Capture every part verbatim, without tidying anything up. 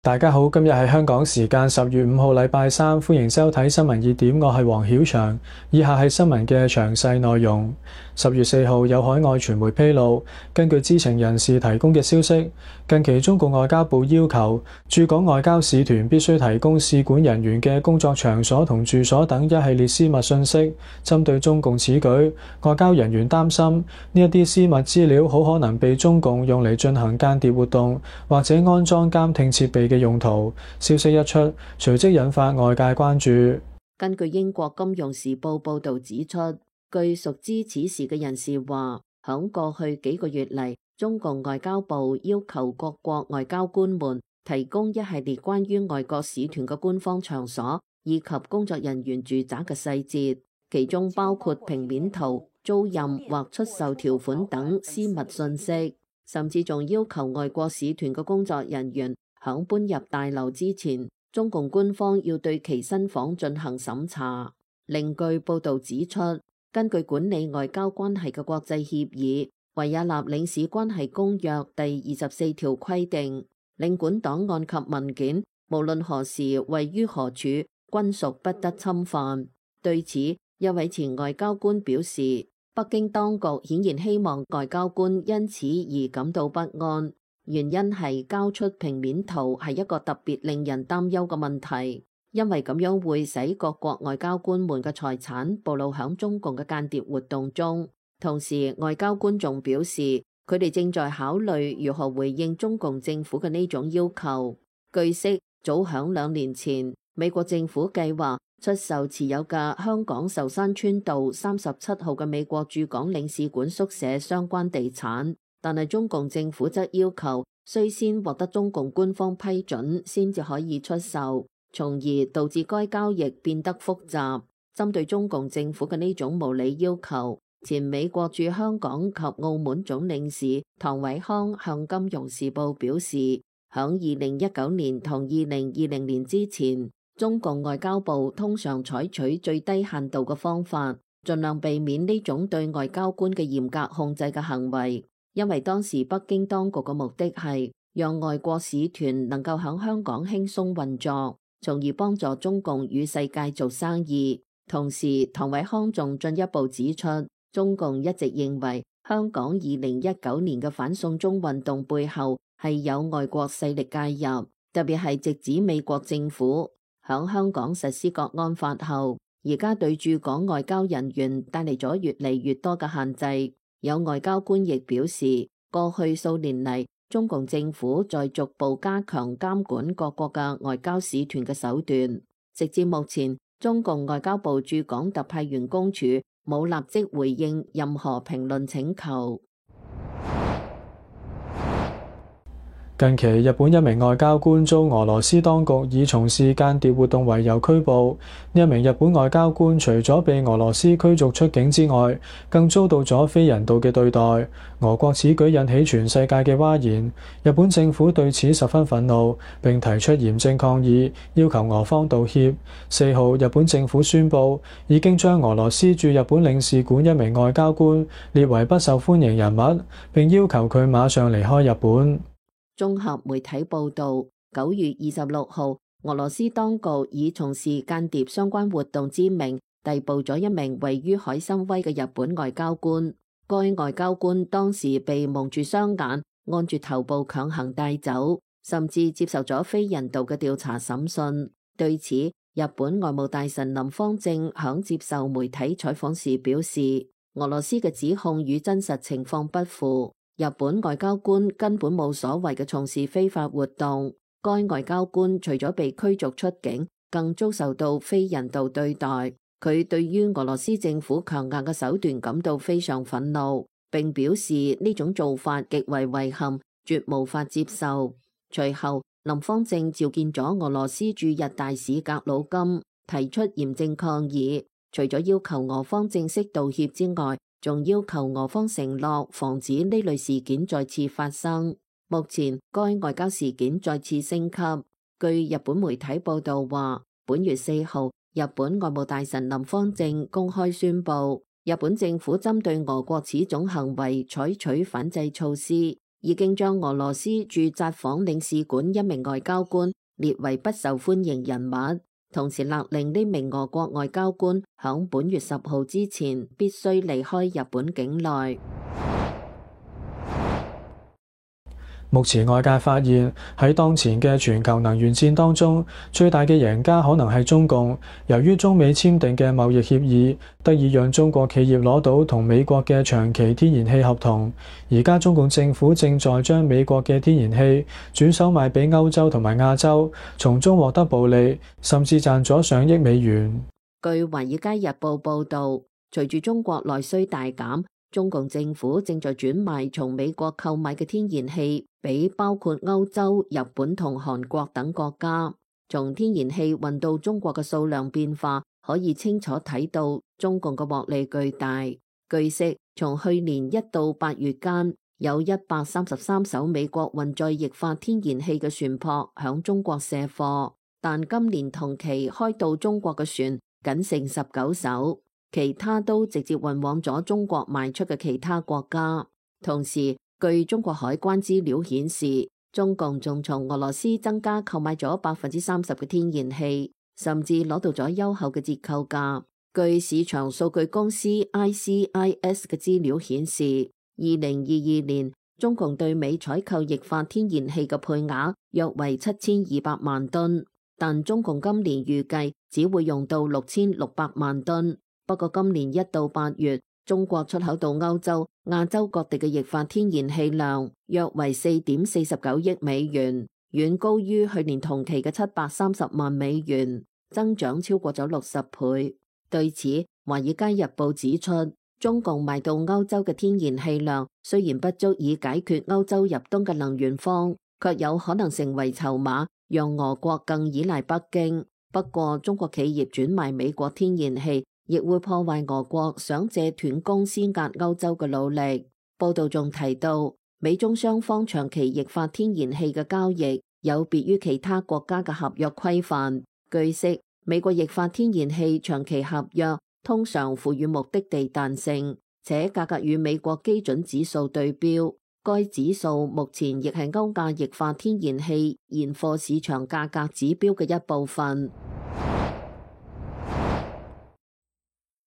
大家好，今日係香港時間十月五號禮拜三，歡迎收睇新聞熱點，我係黃曉翔。以下係新聞嘅詳細內容。十月四號有海外傳媒披露，根據知情人士提供嘅消息，近期中共外交部要求駐港外交使團必須提供使館人員嘅工作場所同住所等一系列私密信息。針對中共此舉，外交人員擔心呢一啲私密資料好可能被中共用嚟進行間諜活動或者安裝監聽設備嘅用途。消息一出，隨即引發外界關注。根據英國金融時報報導指出，據熟知此事嘅人士話，響過去幾個月嚟，中共外交部要求各國外交官們提供一系列關於外國使團嘅官方場所以及工作人員住宅嘅細節，其中包括平面圖、租賃或出售條款等私密信息，甚至仲要求外國使團嘅工作人員響搬入大樓之前，中共官方要對其身訪進行審查。另據報導指出，根據管理外交關係嘅國際協議《維也納領事關係公約》第二十四條規定，領館檔案及文件無論何時位於何處，均屬不得侵犯。對此，一位前外交官表示，北京當局顯然希望外交官因此而感到不安。原因係交出平面圖係一個特別令人擔憂嘅問題，因為咁樣會使各國外交官們嘅財產暴露響中共嘅間諜活動中。同時，外交官仲表示，佢哋正在考慮如何回應中共政府嘅呢種要求。據悉，早響兩年前，美國政府計劃出售持有嘅香港壽山村道三十七號嘅美國駐港領事館宿舍相關地產。但係中共政府則要求需先獲得中共官方批准先至可以出售，從而導致該交易變得複雜。針對中共政府嘅呢種無理要求，前美國駐香港及澳門總領事唐偉康向《金融時報》表示，響二零一九年同二零二零年之前，中共外交部通常採取最低限度嘅方法，盡量避免呢種對外交官嘅嚴格控制嘅行為。因為當時北京當局嘅目的係讓外國使團能夠喺香港輕鬆運作，從而幫助中共與世界做生意。同時，唐偉康仲進一步指出，中共一直認為香港二零一九年嘅反送中運動背後係有外國勢力介入，特別係直指美國政府響香港實施國安法後，而家對駐港外交人員帶嚟咗越嚟越多嘅限制。有外交官亦表示，過去數年嚟，中共政府在逐步加強監管各國嘅外交使團嘅手段。直至目前，中共外交部駐港特派員公署冇立即回應任何評論請求。近期，日本一名外交官遭俄羅斯當局以從事間諜活動為由拘捕。呢一名日本外交官除咗被俄羅斯驅逐出境之外，更遭到咗非人道嘅對待。俄國此舉引起全世界嘅譁然，日本政府對此十分憤怒，並提出嚴正抗議，要求俄方道歉。四號，日本政府宣布已經將俄羅斯駐日本領事館一名外交官列為不受歡迎人物，並要求佢馬上離開日本。綜合媒體報導，九月二十六號，俄羅斯當局以從事間諜相關活動之名逮捕咗一名位於海參崴嘅日本外交官。該外交官當時被蒙住雙眼，按住頭部強行帶走，甚至接受咗非人道嘅調查審訊。對此，日本外務大臣林芳正響接受媒體採訪時表示，俄羅斯嘅指控與真實情況不符。日本外交官根本冇所謂嘅從事非法活動，該外交官除咗被驅逐出境，更遭受到非人道對待。佢對於俄羅斯政府強硬嘅手段感到非常憤怒，並表示呢種做法極為遺憾，絕無法接受。隨後，林芳正召見咗俄羅斯駐日大使格魯金，提出嚴正抗議，除咗要求俄方正式道歉之外，仲要求俄方承諾防止呢類事件再次發生。目前該外交事件再次升級。據日本媒體報道話，本月四號，日本外務大臣林芳正公開宣布，日本政府針對俄國此種行為採取反制措施，已經將俄羅斯駐札幌領事館一名外交官列為不受歡迎人物，同時勒令呢名俄國外交官響本月十號之前必須離開日本境內。目前外界發現喺當前嘅全球能源戰當中，最大嘅贏家可能係中共。由於中美簽訂嘅貿易協議，得以讓中國企業攞到同美國嘅長期天然氣合同。而家中共政府正在將美國嘅天然氣轉手賣俾歐洲同埋亞洲，從中獲得暴利，甚至賺咗上億美元。據《華爾街日報》報導，隨住中國內需大減，中共政府正在轉賣從美國購買嘅天然氣俾包括歐洲、日本同韓國等國家。從天然氣運到中國嘅數量變化，可以清楚睇到中共嘅獲利巨大。據悉，從去年一到八月間，有一百三十三艘美國運載液化天然氣嘅船舶響中國卸貨，但今年同期開到中國嘅船僅剩十九艘。其他都直接運往咗中國賣出嘅其他國家。同時，據中國海關資料顯示，中共仲從俄羅斯增加購買咗百分之三十嘅天然氣，甚至攞到咗優厚嘅折扣價。據市場數據公司 I C I S 嘅資料顯示，二零二二年中共對美採購液化天然氣嘅配額約為七千二百萬噸，但中共今年預計只會用到六千六百萬噸。不過今年一到八月，中國出口到歐洲、亞洲各地嘅液化天然氣量約為四點四十九億美元，遠高於去年同期嘅七百三十萬美元，增長超過咗六十倍。對此，《華爾街日報》指出，中共賣到歐洲嘅天然氣量雖然不足以解決歐洲入冬嘅能源荒，卻有可能成為籌碼，讓俄國更依賴北京。不過，中國企業轉賣美國天然氣亦會破壞俄國想借斷供施壓歐洲嘅努力。報道仲提到，美中雙方長期液化天然氣嘅交易有別於其他國家嘅合約規範。據悉，美國液化天然氣長期合約通常賦予目的地彈性，且價格與美國基準指數對標。該指數目前亦係歐亞液化天然氣現貨市場價格指標嘅一部分。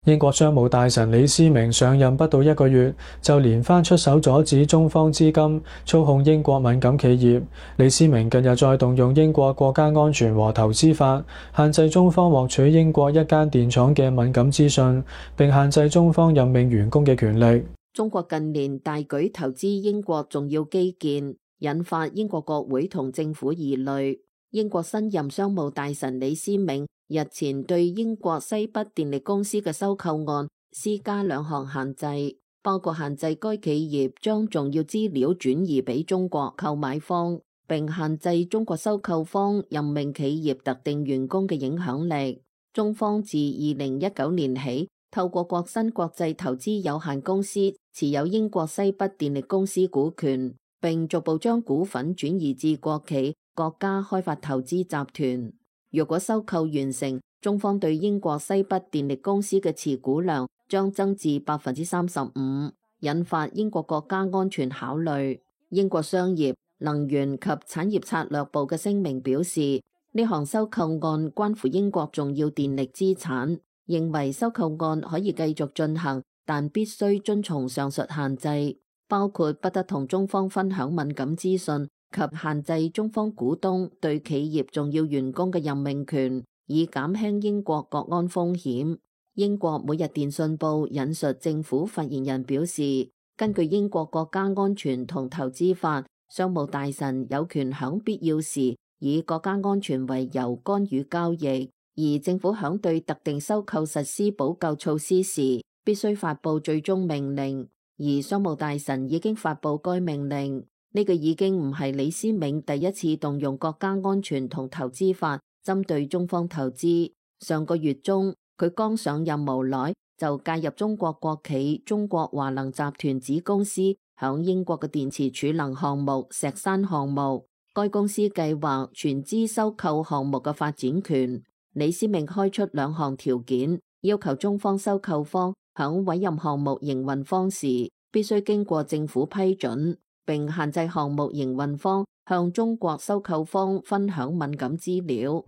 英國商務大臣李思明上任不到一個月，就連番出手阻止中方資金操控英國敏感企業。李思明近日再動用英國國家安全和投資法，限制中方獲取英國一間電廠嘅敏感資訊，並限制中方任命員工嘅權力。中國近年大舉投資英國重要基建，引發英國國會同政府疑慮。英國新任商務大臣李思明日前對英國西北電力公司嘅收購案施加兩項限制，包括限制該企業將重要資料轉移俾中國購買方，並限制中國收購方任命企業特定員工嘅影響力。中方自二零一九年起，透過國新國際投資有限公司持有英國西北電力公司股權，並逐步將股份轉移至國企國家開發投資集團。如果收購完成，中方對英國西北電力公司嘅持股量將增至百分之三十五，引發英國國家安全考慮。英國商業、能源及產業策略部嘅聲明表示，呢項收購案關乎英國重要電力資產，認為收購案可以繼續進行，但必須遵從上述限制，包括不得同中方分享敏感資訊及限制中方股東對企業重要員工嘅任命權，以減輕英國國安風險。英國每日電訊報引述政府發言人表示，根據英國國家安全同投資法，商務大臣有權響必要時以國家安全為由干預交易，而政府響對特定收購實施補救措施時，必須發佈最終命令，而商務大臣已經發佈該命令。呢個已經唔係李思明第一次動用國家安全同投資法針對中方投資。上個月中，佢剛上任無耐就介入中國國企中國華能集團子公司響英國嘅電池儲能項目石山項目，該公司計劃全資收購項目嘅發展權。李思明開出兩項條件，要求中方收購方響委任項目營運方時必須經過政府批准。並限制項目營運方向中國收購方分享敏感資料。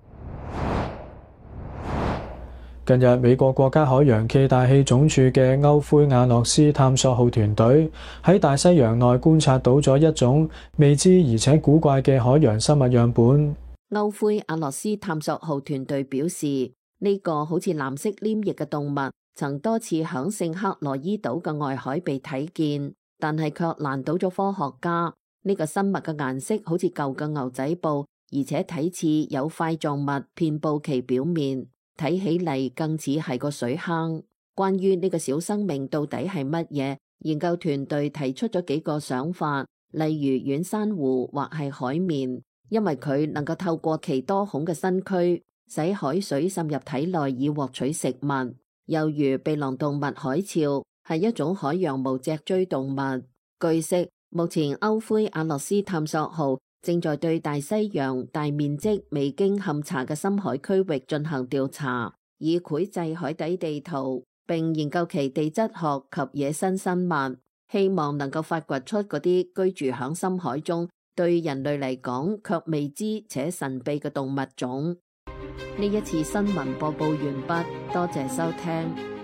近日，美國國家海洋暨大氣總署嘅歐灰亞諾斯探索號團隊喺大西洋內觀察到咗一種未知而且古怪嘅海洋生物樣本。歐灰亞諾斯探索號團隊表示，呢、這個好似藍色黏液嘅動物曾多次響聖克羅伊島嘅外海被睇見，但係卻難倒咗科學家。呢、這個生物嘅顏色好似舊嘅牛仔布，而且睇似有塊狀物遍布其表面。睇起嚟更似係個水坑。關於呢個小生命到底係乜嘢，研究團隊提出咗幾個想法，例如軟珊瑚或係海綿，因為佢能夠透過其多孔嘅身軀，使海水滲入體內以獲取食物。又如鼻囊動物海鞘係一種海洋無脊椎動物。據悉，目前歐灰亞諾斯探索號正在對大西洋大面積未經勘察嘅深海區域進行調查，以繪製海底地圖，並研究其地質學及野生生物，希望能夠發掘出嗰啲居住響深海中對人類嚟講卻未知且神秘嘅動物種。呢一次新聞播報完畢，多謝收聽。